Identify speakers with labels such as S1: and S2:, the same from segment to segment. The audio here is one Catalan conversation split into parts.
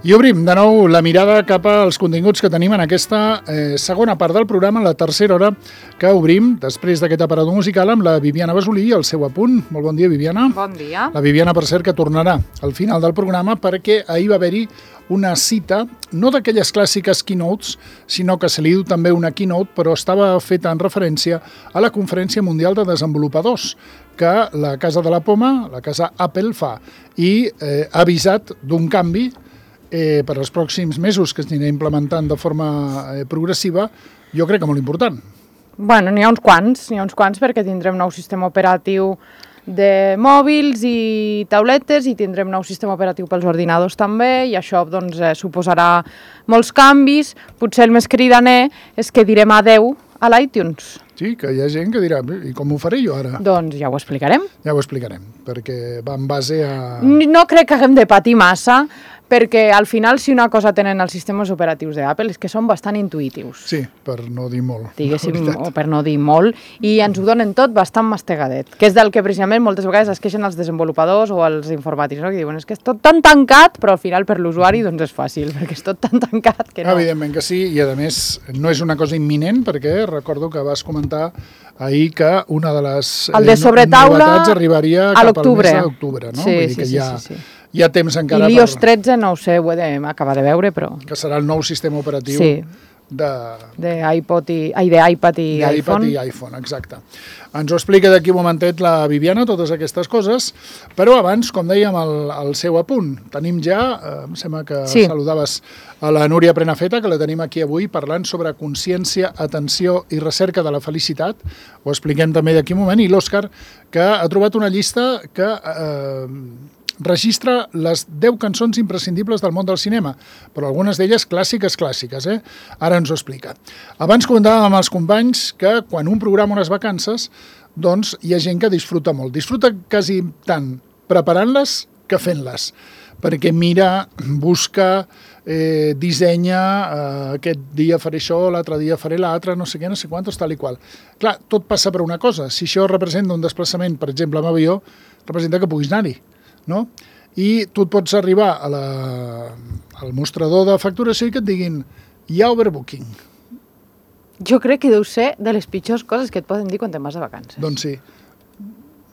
S1: I obrim de nou la mirada cap als continguts que tenim en aquesta segona part del programa, la tercera hora, que obrim després d'aquest aparador musical amb la Viviana Basolí i el seu apunt. Molt bon dia, Viviana.
S2: Bon dia.
S1: La Viviana, per cert, que tornarà al final del programa perquè ahir va haver-hi una cita, no d'aquelles clàssiques keynotes, sinó que se li diu també una keynote, però estava feta en referència a la Conferència Mundial de Desenvolupadors que la Casa de la Poma, la casa Apple, fa i ha avisat d'un canvi per als pròxims mesos que es anirà implementant de forma progressiva, jo crec que molt important.
S2: Bueno, n'hi ha uns quants perquè tindrem nou sistema operatiu de mòbils i tauletes i tindrem nou sistema operatiu pels ordinadors també i això doncs, suposarà molts canvis. Potser el més cridaner és que direm adeu a l'iTunes.
S1: Sí, que hi ha gent que dirà, i com ho faré jo ara?
S2: Doncs ja ho explicarem.
S1: Ja ho explicarem, perquè va en base a...
S2: No crec que haguem de patir massa, perquè al final si una cosa tenen els sistemes operatius d'Apple és que són bastant intuïtius.
S1: Sí, per no dir molt.
S2: Diguéssim, o per no dir molt, i ens ho donen tot bastant mastegadet, que és del que precisament moltes vegades es queixen els desenvolupadors o els informàtics, no? Que diuen, és que és tot tan tancat, però al final per l'usuari doncs és fàcil, perquè és tot tan tancat que no.
S1: Evidentment que sí, i a més no és una cosa imminent, perquè recordo que vas comentar ahir que una de les novetats arribaria cap al mes d'octubre, no?
S2: Sí,
S1: vull dir que
S2: sí.
S1: Hi ha temps encara
S2: I l'iOS 13, no ho sé, ho he d'acabar de veure, però...
S1: Que serà el nou sistema operatiu
S2: d'iPad i iPhone.
S1: Exacte. Ens ho explica d'aquí un momentet la Viviana, totes aquestes coses, però abans, com dèiem, el seu apunt. Tenim ja, em sembla que saludaves a la Núria Prenafeta, que la tenim aquí avui, parlant sobre consciència, atenció i recerca de la felicitat. Ho expliquem també d'aquí un moment. I l'Òscar, que ha trobat una llista que... registra les 10 cançons imprescindibles del món del cinema, però algunes d'elles clàssiques. Ara ens ho explica. Abans comentàvem amb els companys que quan un programa unes vacances, doncs hi ha gent que disfruta molt. Disfruta quasi tant preparant-les que fent-les, perquè mira, busca, dissenya, aquest dia faré això, l'altre dia faré l'altre, no sé què, no sé quantos, tal i qual. Clar, tot passa per una cosa. Si això representa un desplaçament, per exemple, amb avió, representa que puguis anar-hi. No? I tu et pots arribar al mostrador de facturació i que et diguin hi ha overbooking.
S2: Jo crec que deu ser de les pitjors coses que et poden dir quan te'n vas de vacances.
S1: Doncs sí.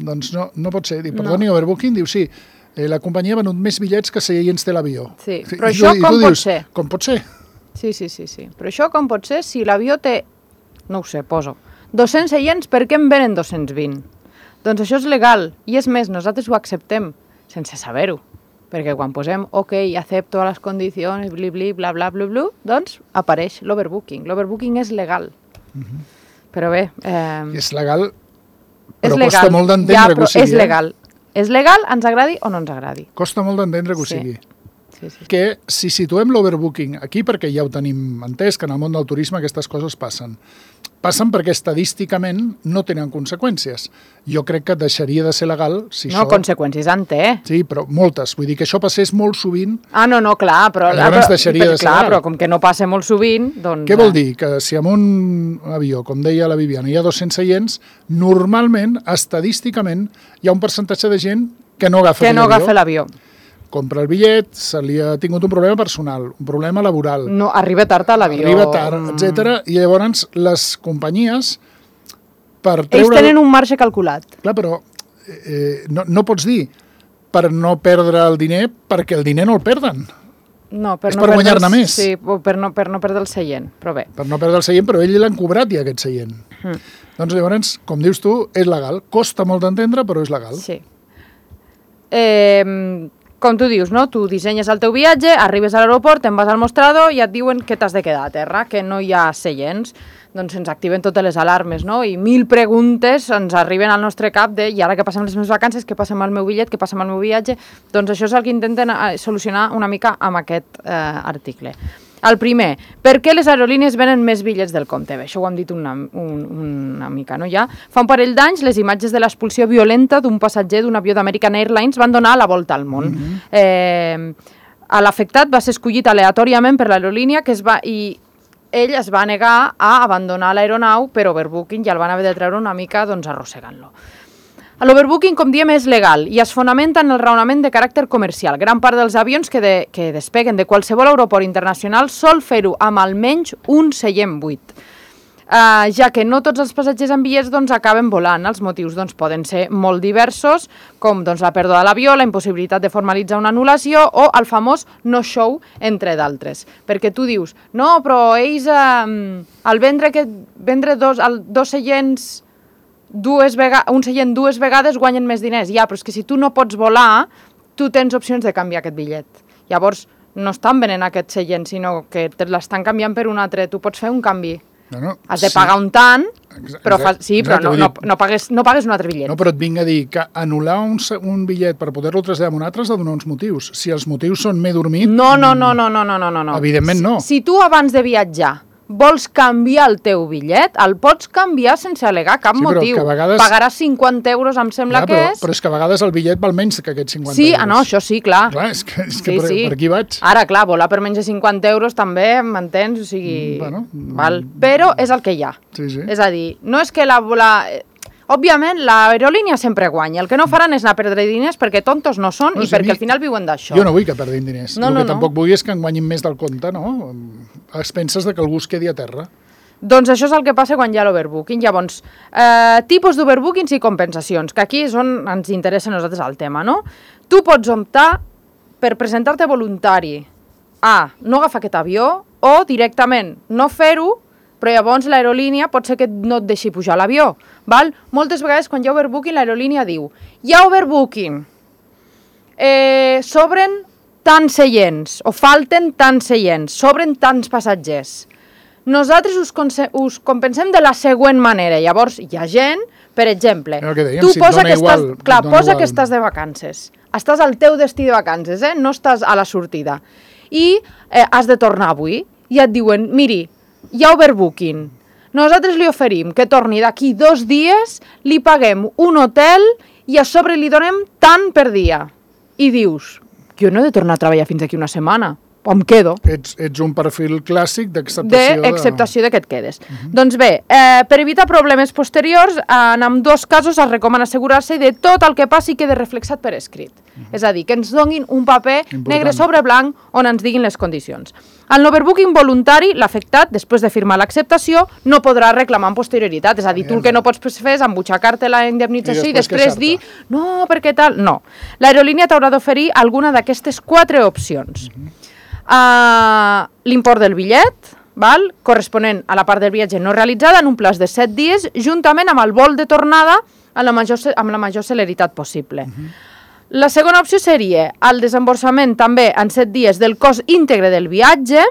S1: Doncs no pot ser. Perdoni, overbooking, diu sí, la companyia ha venut més bitllets que seients té l'avió.
S2: Sí, però això com pot ser?
S1: Com pot ser?
S2: Sí. Però això com pot ser si l'avió té, no ho sé, poso, 200 seients, per què en venen 220? Doncs això és legal. I és més, nosaltres ho acceptem sense saber-ho, perquè quan posem ok, acepto a les condicions, bla, bla, doncs apareix l'overbooking. L'overbooking és legal. Però bé...
S1: És legal, però costa molt d'entendre que ho sigui.
S2: És legal. És legal, ens agradi o no ens agradi.
S1: Costa molt d'entendre que ho sigui.
S2: Sí.
S1: Que si situem l'overbooking aquí, perquè ja ho tenim entès, que en el món del turisme aquestes coses passen perquè estadísticament no tenen conseqüències. Jo crec que deixaria de ser legal si això...
S2: No, conseqüències en té.
S1: Sí, però moltes. Vull dir que això passés molt sovint...
S2: No, clar, però...
S1: Llavors deixaria de ser legal.
S2: Però com que no passa molt sovint, doncs...
S1: Què vol dir? Que si en un avió, com deia la Viviana, hi ha 200 seients, normalment, estadísticament, hi ha un percentatge de gent que no agafa l'avió. Compra el bitllet, se li ha tingut un problema personal, un problema laboral.
S2: No, arriba tard a l'avió.
S1: Arriba tard, etc. I llavors les companyies per treure...
S2: Ells tenen un marge calculat.
S1: Clar, però no pots dir per no perdre el diner perquè el diner no el perden.
S2: No,
S1: és per guanyar-ne més.
S2: Sí, per no perdre el seient, però bé.
S1: Per no perdre el seient, però ell l'han cobrat ja aquest seient. Doncs llavors, com dius tu, és legal. Costa molt d'entendre, però és legal.
S2: Sí. Com tu dius, no? Tu dissenyes el teu viatge, arribes a l'aeroport, te'n vas al mostrador i et diuen que t'has de quedar a terra, que no hi ha seients. Doncs ens activen totes les alarmes, no? I 1000 preguntes ens arriben al nostre cap de i ara que passem les meves vacances, què passa amb el meu bitllet, què passa amb el meu viatge? Doncs això és el que intenten solucionar una mica amb aquest article. El primer, per què les aerolínies venen més bitllets del compte? Bé, això ho hem dit una mica, no? Ja fa un parell d'anys, les imatges de l'expulsió violenta d'un passatger d'un avió d'American Airlines van donar la volta al món. L'afectat va ser escollit aleatòriament per l'aerolínia i ell es va negar a abandonar l'aeronau per overbooking i el van haver de treure una mica doncs, arrossegant-lo. L'overbooking, com diem, és legal i es fonamenta en el raonament de caràcter comercial. Gran part dels avions que despeguen de qualsevol aeroport internacional sol fer-ho amb almenys un seient buit. Ja que no tots els passatgers amb bitllets acaben volant. Els motius poden ser molt diversos, com la pèrdua de l'avió, la impossibilitat de formalitzar una anul·lació o el famós no-show, entre d'altres. Perquè tu dius, no, però ells al vendre dos seients un seient dues vegades guanyen més diners. Ja, però és que si tu no pots volar, tu tens opcions de canviar aquest bitllet. Llavors, no estan venent aquest seient, sinó que te l'estan canviant per un altre. Tu pots fer un canvi. Has de pagar un tant, però no pagues un altre bitllet.
S1: No, però et vinc a dir que anul·lar un bitllet per poder-lo traslladar a un altre has de donar uns motius. Si els motius són m'he dormit...
S2: No.
S1: Evidentment no.
S2: Si tu abans de viatjar vols canviar el teu bitllet, el pots canviar sense al·legar cap motiu. Pagaràs 50 euros, em sembla que és.
S1: Però és que a vegades el bitllet val menys que aquests 50 euros.
S2: Sí, no, això sí, clar.
S1: Clar, és que per aquí vaig.
S2: Ara, clar, volar per menys de 50 euros també, m'entens? O sigui... Però és el que hi ha.
S1: Sí.
S2: És a dir, no és que òbviament, l'aerolínia sempre guanya. El que no faran és anar a perdre diners perquè tontos no són i perquè al final viuen d'això.
S1: Jo no vull que perdin diners. El que tampoc vull és que en guanyin més del compte, no? A expenses que algú es quedi a terra.
S2: Doncs això és el que passa quan hi ha l'overbooking. Llavors, tipus d'overbookings i compensacions, que aquí és on ens interessa a nosaltres el tema, no? Tu pots optar per presentar-te voluntari a no agafar aquest avió o directament no fer-ho, però llavors l'aerolínia pot ser que no et deixi pujar a l'avió. Moltes vegades quan hi ha overbooking l'aerolínia diu hi ha overbooking, sobren tants seients o falten tants seients, sobren tants passatgers. Nosaltres us compensem de la següent manera. Llavors hi ha gent, per exemple, tu posa que estàs de vacances, estàs al teu destí de vacances, no estàs a la sortida i has de tornar avui i et diuen, miri, hi ha overbooking. Nosaltres li oferim que torni d'aquí 2 dies, li paguem un hotel i a sobre li donem tant per dia. I dius, jo no he de tornar a treballar fins d'aquí una setmana. O em quedo.
S1: Ets un perfil clàssic d'acceptació
S2: de que et quedes. Doncs bé, per evitar problemes posteriors, en ambdós casos es recomana assegurar-se de tot el que passi quede reflexat per escrit. És a dir, que ens donin un paper negre sobre blanc on ens diguin les condicions. En l'overbooking voluntari, l'afectat, després de firmar l'acceptació, no podrà reclamar en posterioritat. És a dir, tu el que no pots fer és embutxacar-te la indemnització i després dir, no, perquè tal... No. L'aerolínia t'haurà d'oferir alguna d'aquestes 4 opcions. L'import del bitllet, corresponent a la part del viatge no realitzada en un plaç de 7 dies, juntament amb el vol de tornada amb la major celeritat possible. La segona opció seria el desemborsament també en 7 dies del cost íntegre del viatge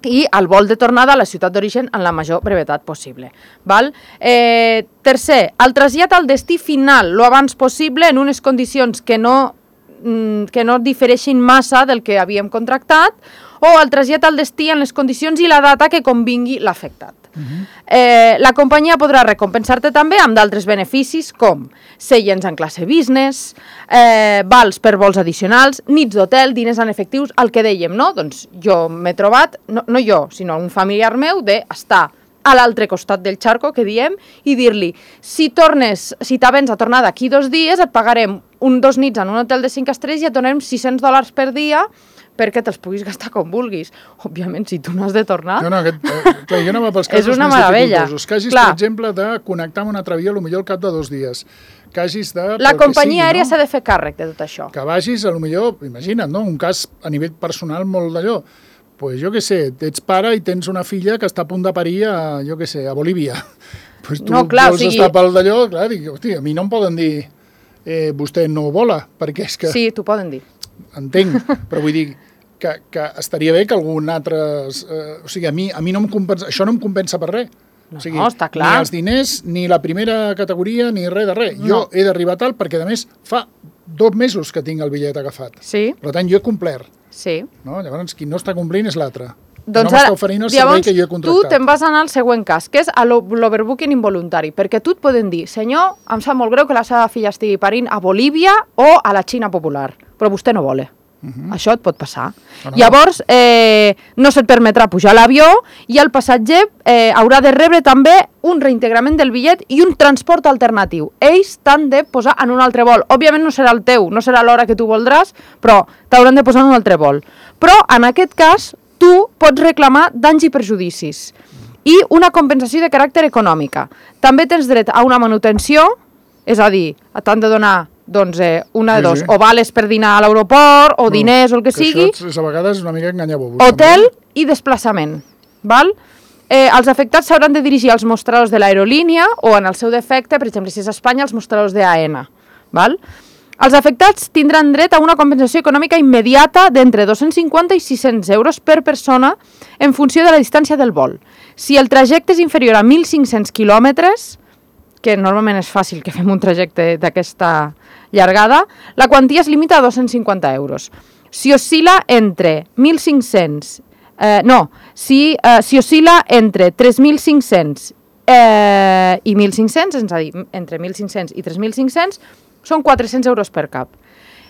S2: i el vol de tornada a la ciutat d'origen en la major brevetat possible. Tercer, el trasllat al destí final lo abans possible en unes condicions que no difereixin massa del que havíem contractat o el trasllat al destí en les condicions i la data que convingui l'afectat. La companyia podrà recompensar-te també amb d'altres beneficis com seients en classe business, vals per vols addicionals, nits d'hotel, diners en efectius, el que dèiem, no? Doncs jo m'he trobat, no jo, sinó un familiar meu, d'estar a l'altre costat del xarco, que diem, i dir-li, si t'avens a tornar d'aquí 2 dies, et pagarem 2 nits en un hotel de 5 estrelles i et donarem $600 per dia perquè te'ls puguis gastar com vulguis. Òbviament, si tu no has de tornar...
S1: Clar, jo anava pels casos més dificultosos. Que hagis, per exemple, de connectar amb una altra via potser al cap de 2 dies. Que hagis de...
S2: La companyia aèria s'ha de fer càrrec de tot això.
S1: Que vagis, potser, imagina't, no? Un cas a nivell personal molt d'allò. Pues jo què sé, ets pare i tens una filla que està a punt de parir a Bolívia. Pues tu vols estar pel d'allò, clar, dic, hosti, a mi no em poden dir vostè no vola, perquè és que...
S2: Sí, t'ho poden dir.
S1: Entenc, però vull dir que estaria bé que algun altre... O sigui, a mi no em compensa... Això no em compensa per res.
S2: No, està clar.
S1: Ni els diners, ni la primera categoria, ni res de res. Jo he d'arribar tal perquè, a més, fa 2 mesos que tinc el bitllet agafat.
S2: Sí.
S1: Per tant, jo he complert.
S2: Sí.
S1: No? Llavors, qui no està complint és l'altre.
S2: Doncs
S1: no m'està oferint el servei que jo he contractat.
S2: Tu te'n vas anar al següent cas, que és l'overbooking involuntari, perquè tu et poden dir, senyor, em sap molt greu que la seva filla estigui parint a Bolívia o a la Xina popular, però vostè no vol. Això et pot passar. Llavors, no se't permetrà pujar a l'avió i el passatger haurà de rebre també un reintegrament del bitllet i un transport alternatiu. Ells t'han de posar en un altre vol. Òbviament no serà el teu, no serà l'hora que tu voldràs, però t'hauran de posar en un altre vol. Però, en aquest cas, tu pots reclamar danys i perjudicis i una compensació de caràcter econòmica. També tens dret a una manutenció, és a dir, t'han de donar una de dos, o vales per dinar a l'aeroport, o diners, o el que sigui.
S1: Això a vegades és una mica enganyabobos.
S2: Hotel i desplaçament, val? Els afectats s'hauran de dirigir als mostradors de l'aerolínia o, en el seu defecte, per exemple, si és a Espanya, als mostradors d'AENA, val? Els afectats tindran dret a una compensació econòmica immediata d'entre 250 i 600 euros per persona en funció de la distància del vol. Si el trajecte és inferior a 1.500 quilòmetres, que normalment és fàcil que fem un trajecte d'aquesta llargada, la quantia es limita a 250 euros. Si oscil·la entre 1.500... si oscil·la entre 3.500 i 1.500, és a dir, entre 1.500 i 3.500, són 400 euros per cap.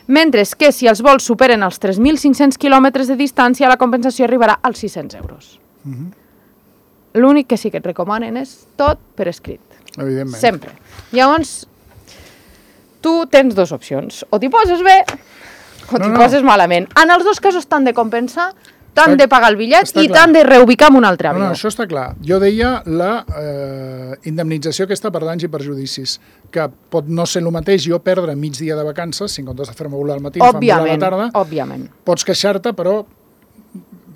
S2: Mentre que si els vols superen els 3.500 quilòmetres de distància, la compensació arribarà als 600 euros. L'únic que sí que et recomanen és tot per escrit.
S1: Evidentment.
S2: Sempre. Llavors, tu tens dues opcions. O t'hi poses bé o t'hi poses malament. En els dos casos t'han de compensar, t'han de pagar el bitllet i t'han de reubicar en un altre avió.
S1: No, això està clar. Jo deia la indemnització aquesta per danys i perjudicis, que pot no ser el mateix jo perdre mig dia de vacances, si en comptes de fer-me volar al matí, em fan volar a la tarda.
S2: Òbviament.
S1: Pots queixar-te, però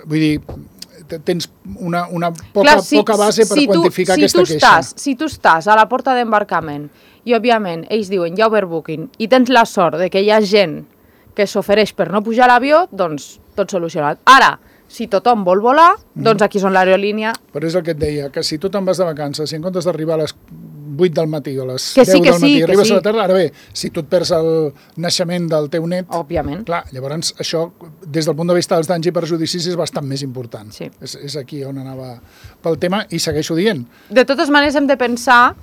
S1: vull dir, tens una poca base per quantificar aquesta queixa.
S2: Si tu estàs a la porta d'embarcament i, òbviament, ells diuen ja overbooking i tens la sort de que hi ha gent que s'ofereix per no pujar a l'avió, doncs tot solucionat. Ara, si tothom vol volar, doncs aquí són l'aerolínia.
S1: Però és el que et deia, que si tu te'n vas de vacances, si en comptes d'arribar a les 8 del matí o a les 10 del matí arribes a la tarda, ara bé, si tu et perds el naixement del teu net,
S2: òbviament,
S1: clar, llavors això, des del punt de vista dels danys i perjudicis, és bastant més important.
S2: Sí.
S1: És aquí on anava pel tema i segueixo dient.
S2: De totes maneres hem de pensar,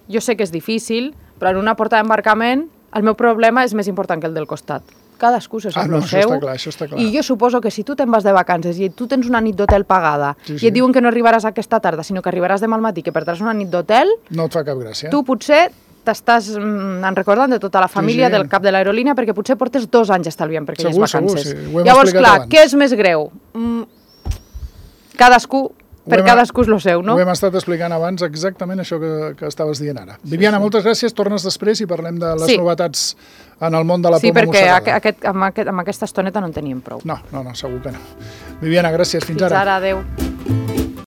S2: jo sé que és difícil, però en una porta d'embarcament el meu problema és més important que el del costat. Cadascú se sap el seu.
S1: Això està clar.
S2: I jo suposo que si tu te'n vas de vacances i tu tens una nit d'hotel pagada i et diuen que no arribaràs aquesta tarda, sinó que arribaràs demà al matí, que perdràs una nit d'hotel,
S1: no et fa cap gràcia.
S2: Tu potser t'estàs recordant de tota la família del cap de l'aerolínia perquè potser portes 2 anys estalviant per aquelles vacances. Llavors, clar, què és més greu? Cadascú és el seu, no?
S1: Ho hem estat explicant abans exactament això que estaves dient ara. Viviana, moltes gràcies, tornes després i parlem de les novetats en el món de la poma mossegada.
S2: Sí, perquè amb aquesta estoneta no en teníem prou.
S1: No, segur que no. Viviana, gràcies, fins ara.
S2: Fins ara, adeu.